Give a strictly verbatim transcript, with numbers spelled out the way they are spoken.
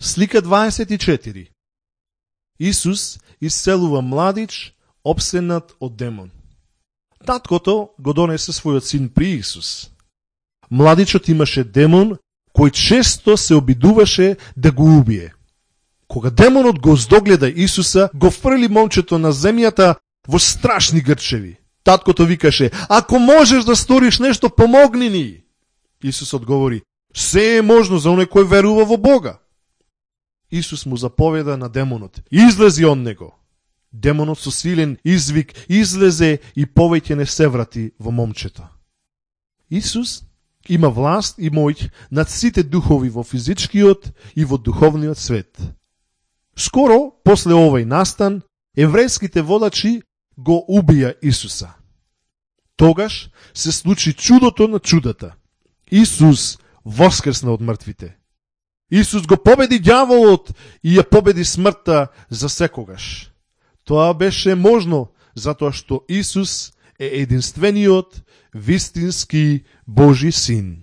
Слика дваесет и четири. Исус исцелува младич опсенат од демон. Таткото го донесе својот син при Исус. Младичот имаше демон кој често се обидуваше да го убие. Кога демонот го здогледа Исуса, го фрли момчето на земјата во страшни грчеви. Таткото викаше: "Ако можеш да сториш нешто, помогни ни." Исус одговори: "Се е можно за оној кој верува во Бога." Исус му заповеда на демонот: "Излези од него." Демонот со силен извик излезе и повеќе не се врати во момчето. Исус има власт и моќ над сите духови во физичкиот и во духовниот свет. Скоро после овој настан, еврејските водачи го убија Исуса. Тогаш се случи чудото на чудата. Исус воскресна од мртвите. Исус го победи ѓаволот и ја победи смртта за секогаш. Тоа беше можно затоа што Исус е единствениот вистински Божи син.